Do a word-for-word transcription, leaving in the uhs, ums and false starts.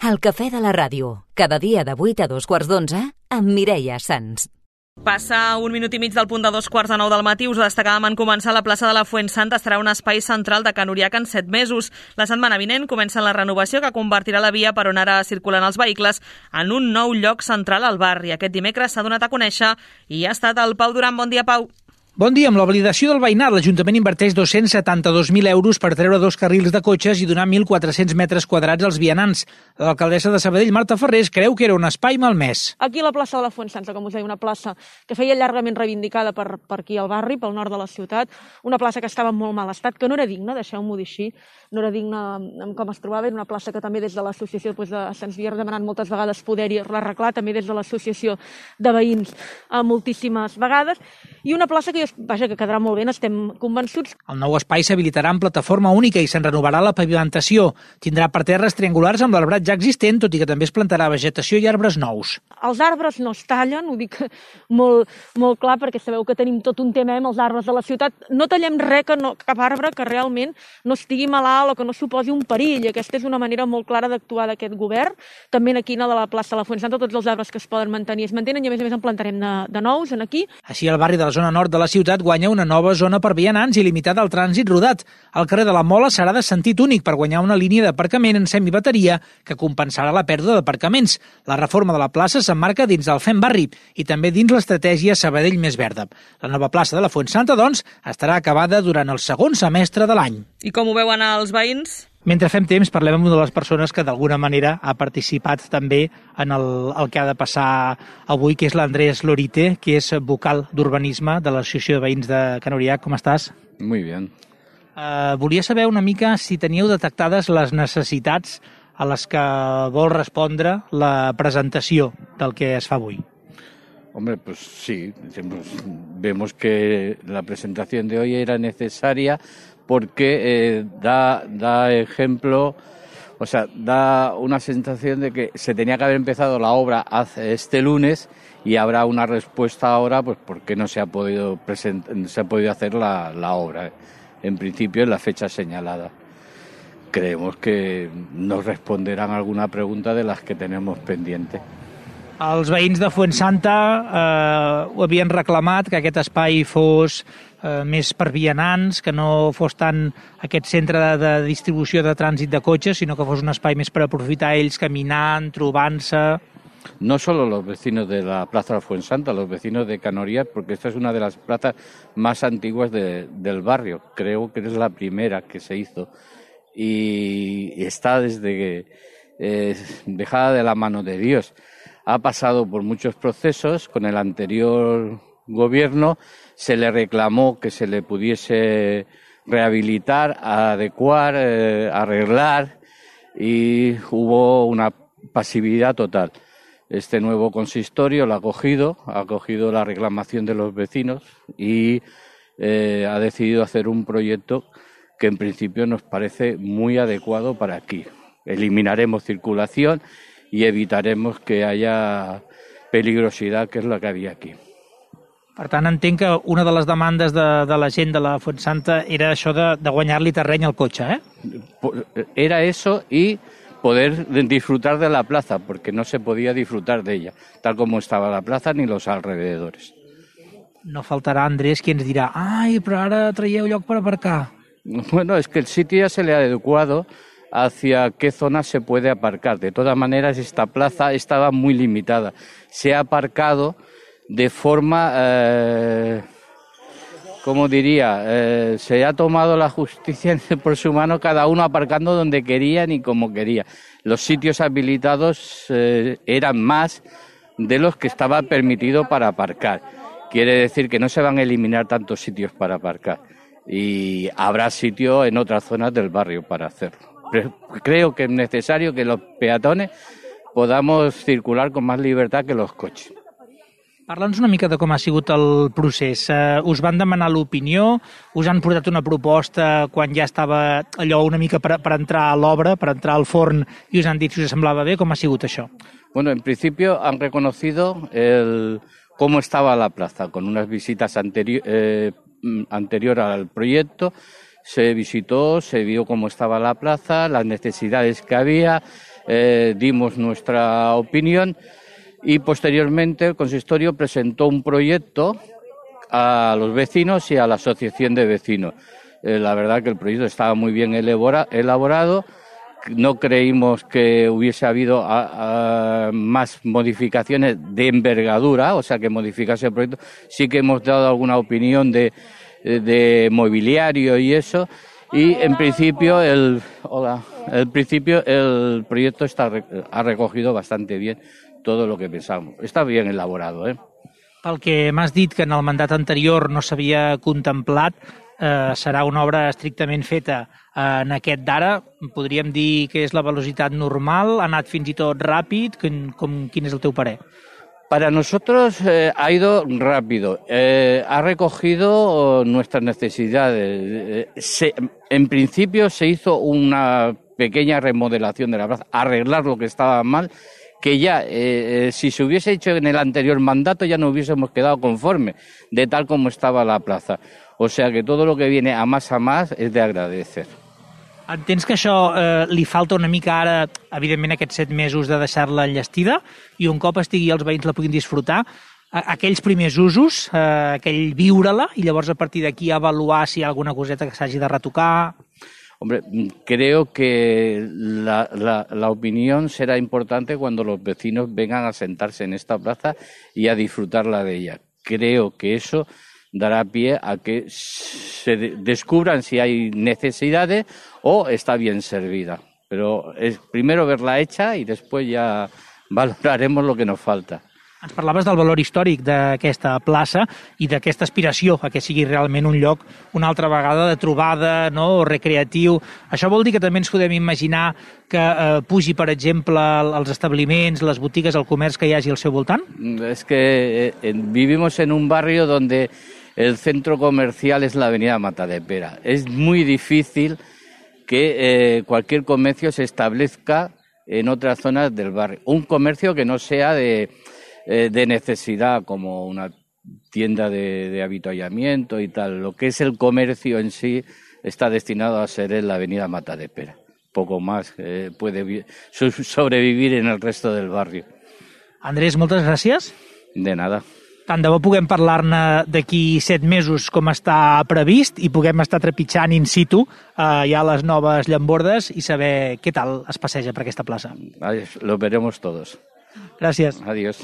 El cafè de la ràdio, cada dia de vuit a dos quarts d'onze, amb Mireia Sans. Passa un minut i mig del punt de dos quarts de nou del matí. Us destacàvem en començar la plaça de la Fuensanta. Serà un espai central de Can Uriac en set mesos. La setmana vinent comença la renovació que convertirà la via per on ara circulen els vehicles en un nou lloc central al barri. Aquest dimecres s'ha donat a conèixer i ha estat el Pau Duran. Bon dia, Pau. Bon dia. Amb la validació del veïnat, l'Ajuntament inverteix dos-cents setanta-dos mil euros per treure dos carrils de cotxes i donar mil quatre-cents metres quadrats als vianants. L'alcaldessa de Sabadell, Marta Ferrés, creu que era un espai malmès. Aquí a la plaça de la Fuensanta, com us deia, una plaça que feia llargament reivindicada per, per aquí al barri, pel nord de la ciutat, una plaça que estava en molt mal estat, que no era digna, deixeu-m'ho dir així, no era digna amb com es trobava, era una plaça que també des de l'associació doncs, de, se'ns havia demanat moltes vegades poder-hi arreglar, també des de l'associació de veïns eh, moltíssimes vegades, i una plaça que jo vaja, que quedarà molt bé, n'estem convençuts. El nou espai s'habilitarà en plataforma única i se'n renovarà la pavimentació. Tindrà parterres triangulars amb l'arbrat ja existent, tot i que també es plantarà vegetació i arbres nous. Els arbres no es tallen, ho dic molt, molt clar, perquè sabeu que tenim tot un tema amb els arbres de la ciutat. No tallem res, que no, cap arbre que realment no estigui malalt o que no suposi un perill. Aquesta és una manera molt clara d'actuar d'aquest govern. També aquí a la plaça de la Fuensanta, tots els arbres que es poden mantenir es mantenen i a més a més en plantarem de, de nous en aquí. Així, el barri de la zona nord de la ciutat guanya una nova zona per vianants i limitada al trànsit rodat. El carrer de la Mola serà de sentit únic per guanyar una línia d'aparcament en semibateria que compensarà la pèrdua d'aparcaments. La reforma de la plaça s'emmarca dins del Fem Barri i també dins l'estratègia Sabadell Més Verda. La nova plaça de la Fuensanta, doncs, estarà acabada durant el segon semestre de l'any. I com ho veuen els veïns? Mentre fem temps, parlem amb una de les persones que d'alguna manera ha participat també en el, el que ha de passar avui, que és l'Andrés Lorite, que és vocal d'urbanisme de l'Associació de Veïns de Can Uriac. Com estàs? Muy bien. Uh, volia saber una mica si teníeu detectades les necessitats a les que vol respondre la presentació del que es fa avui. Hombre, pues sí, vemos que la presentación de hoy era necesaria porque eh, da, da ejemplo, o sea, da una sensación de que se tenía que haber empezado la obra hace este lunes y habrá una respuesta ahora, pues porque no se ha podido present, se ha podido hacer la, la obra, en principio en la fecha señalada. Creemos que nos responderán alguna pregunta de las que tenemos pendiente. Els veïns de Fuensanta eh, ho havien reclamat, que aquest espai fos eh, més per vianants, que no fos tant aquest centre de, de distribució de trànsit de cotxes, sinó que fos un espai més per aprofitar ells caminant, trobant-se. No solo los vecinos de la Plaza de la Fuensanta, los vecinos de Can Uriac, porque esta es una de las plazas más antiguas de, del barrio. Creo que es la primera que se hizo y está desde que eh, dejada de la mano de Dios. Ha pasado por muchos procesos. Con el anterior gobierno se le reclamó que se le pudiese rehabilitar, adecuar, eh, arreglar, y hubo una pasividad total. Este nuevo consistorio lo ha acogido, ha acogido la reclamación de los vecinos y eh, ha decidido hacer un proyecto que en principio nos parece muy adecuado para aquí. Eliminaremos circulación i evitaremos que haya peligrosidad, que és la que havia aquí. Per tant, entenc que una de les demandes de, de la gent de la Fuensanta era això de, de guanyar-li terreny al cotxe, eh? Era eso y poder disfrutar de la plaza, porque no se podía disfrutar de ella, tal como estaba la plaza ni los alrededores. No faltarà, Andrés, qui ens dirà «Ai, però ara traieu lloc per aparcar». Bueno, es que el sitio ya se le ha adecuado hacia qué zona se puede aparcar. De todas maneras, esta plaza estaba muy limitada. Se ha aparcado de forma, eh, ¿cómo diría? Eh, se ha tomado la justicia por su mano, cada uno aparcando donde querían y como quería. Los sitios habilitados eh, eran más de los que estaba permitido para aparcar. Quiere decir que no se van a eliminar tantos sitios para aparcar y habrá sitio en otras zonas del barrio para hacerlo. Creo que es necesario que los peatones podamos circular con más libertad que los coches. Parla'ns una mica de com ha sigut el procés. Uh, us van demanar l'opinió, us han portat una proposta quan ja estava allò una mica per, per entrar a l'obra, per entrar al forn, i us han dit si us semblava bé. Com ha sigut això? Bueno, en principio han reconocido el, cómo estaba la plaza, con unas visitas anterior, eh, anterior al proyecto. Se visitó, se vio cómo estaba la plaza, las necesidades que había, eh, dimos nuestra opinión y posteriormente el consistorio presentó un proyecto a los vecinos y a la asociación de vecinos. Eh, la verdad que el proyecto estaba muy bien elabora, elaborado. No creímos que hubiese habido a, a, más modificaciones de envergadura, o sea, que modificase el proyecto. Sí que hemos dado alguna opinión de, de mobiliario y eso, y en principio el, hola, en principio el proyecto está, ha recogido bastante bien todo lo que pensamos. Está bien elaborado, ¿eh? Pel que m'has dit que en el mandat anterior no s'havia contemplat, eh, serà una obra estrictament feta en aquest d'ara. Podríem dir que és la velocitat normal, ha anat fins i tot ràpid. Com, com, quin és el teu parer? Para nosotros eh, ha ido rápido, eh, ha recogido nuestras necesidades. Eh, se, en principio se hizo una pequeña remodelación de la plaza, arreglar lo que estaba mal, que ya, eh, si se hubiese hecho en el anterior mandato, ya no hubiésemos quedado conforme de tal como estaba la plaza. O sea que todo lo que viene a más a más es de agradecer. Entens que això eh, li falta una mica ara, evidentment, aquests set mesos de deixar-la enllestida, i un cop estigui els veïns la puguin disfrutar, aquells primers usos, eh, aquell viure-la, i llavors a partir d'aquí avaluar si hi ha alguna coseta que s'hagi de retocar? Hombre, creo que la, la, la opinión será importante cuando los vecinos vengan a sentarse en esta plaza y a disfrutarla de ella. Creo que eso dará pie a que se descubran si hay necesidades o está bien servida. Pero es primero verla hecha y después ya valoraremos lo que nos falta. Ens parlaves del valor històric d'aquesta plaça i d'aquesta aspiració a que sigui realment un lloc una altra vegada de trobada, no?, recreatiu. Això vol dir que també ens podem imaginar que eh, pugi, per exemple, els establiments, les botigues, el comerç que hi hagi al seu voltant? Es que eh, vivimos en un barrio donde el centro comercial es la avenida Matadepera. Es muy difícil que eh, cualquier comercio se establezca en otras zonas del barrio. Un comercio que no sea de... de necesidad, como una tienda de, de avituallamiento y tal. Lo que es el comercio en sí está destinado a ser en la avenida Matadepera. Poco más eh, puede sobrevivir en el resto del barrio. Andrés, moltes gràcies. De nada. Tant de bo puguem parlar-ne d'aquí set mesos com està previst i puguem estar trepitjant in situ eh, ja les noves llambordes i saber què tal es passeja per aquesta plaça. Lo veremos todos. Gràcies. Adiós.